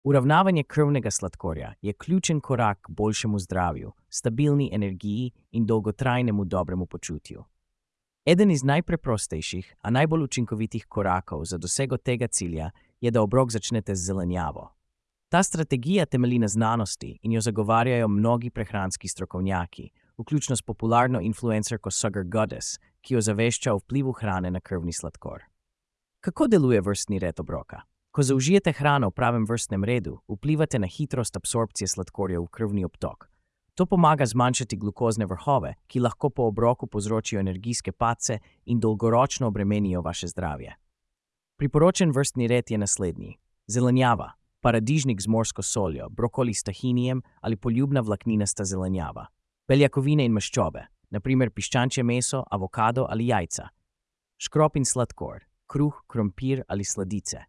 Uravnavanje krvnega sladkorja je ključen korak k boljšemu zdravju, stabilni energiji in dolgotrajnemu dobremu počutju. Eden iz najpreprostejših, a najbolj učinkovitih korakov za dosego tega cilja je, da obrok začnete z zelenjavo. Ta strategija temelji na znanosti in jo zagovarjajo mnogi prehranski strokovnjaki, vključno s popularno influencerko Sugar Goddess, ki jo zavešča o vplivu hrane na krvni sladkor. Kako deluje vrstni red obroka? Ko zaužijete hrano v pravem vrstnem redu, vplivate na hitrost absorpcije sladkorja v krvni obtok. To pomaga zmanjšati glukozne vrhove, ki lahko po obroku povzročijo energijske padce in dolgoročno obremenijo vaše zdravje. Priporočen vrstni red je naslednji: zelenjava, paradižnik z morsko soljo, brokoli s tahinijem ali poljubna vlakninasta zelenjava. Beljakovine in maščobe, na primer piščančje meso, avokado ali jajca. Škrop in sladkor, kruh, krompir ali sladice.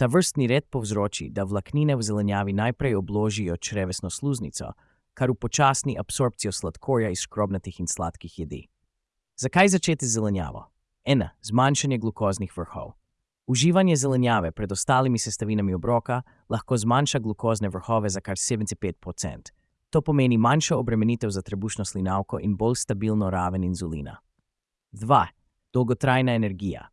Ta vrstni red povzroči, da vlaknine v zelenjavi najprej obložijo črevesno sluznico, kar upočasni absorpcijo sladkorja iz škrobnatih in sladkih jedi. Zakaj začeti z zelenjavo? 1. Zmanjšanje glukoznih vrhov. Uživanje zelenjave pred ostalimi sestavinami obroka lahko zmanjša glukozne vrhove za kar 75%. To pomeni manjšo obremenitev za trebušno slinavko in bolj stabilno raven inzulina. 2. Dolgotrajna energija.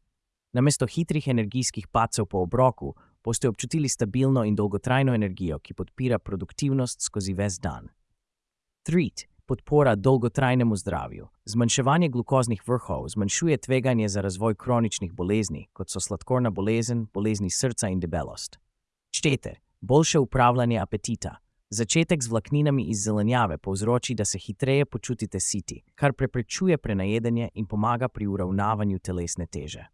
Namesto hitrih energijskih padcev po obroku boste občutili stabilno in dolgotrajno energijo, ki podpira produktivnost skozi ves dan. 3. Podpora dolgotrajnemu zdravju. Zmanjševanje glukoznih vrhov zmanjšuje tveganje za razvoj kroničnih bolezni, kot so sladkorna bolezen, bolezni srca in debelost. 4. Boljše upravljanje apetita. Začetek z vlakninami iz zelenjave povzroči, da se hitreje počutite siti, kar preprečuje prenajedanje in pomaga pri uravnavanju telesne teže.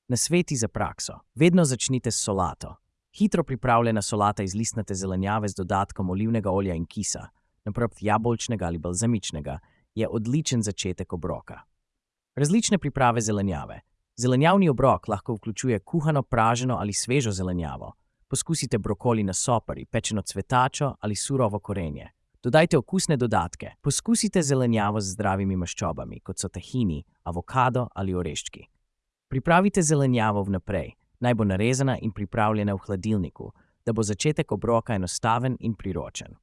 Nasveti za prakso. Vedno začnite s solato. Hitro pripravljena solata iz listnate zelenjave z dodatkom olivnega olja in kisa, naprimer jabolčnega ali balzamičnega, je odličen začetek obroka. Različne priprave zelenjave. Zelenjavni obrok lahko vključuje kuhano, praženo ali svežo zelenjavo. Poskusite brokoli na sopari, pečeno cvetačo ali surovo korenje. Dodajte okusne dodatke. Poskusite zelenjavo z zdravimi maščobami, kot so tahini, avokado ali oreščki. Pripravite zelenjavo vnaprej, naj bo narezana in pripravljena v hladilniku, da bo začetek obroka enostaven in priročen.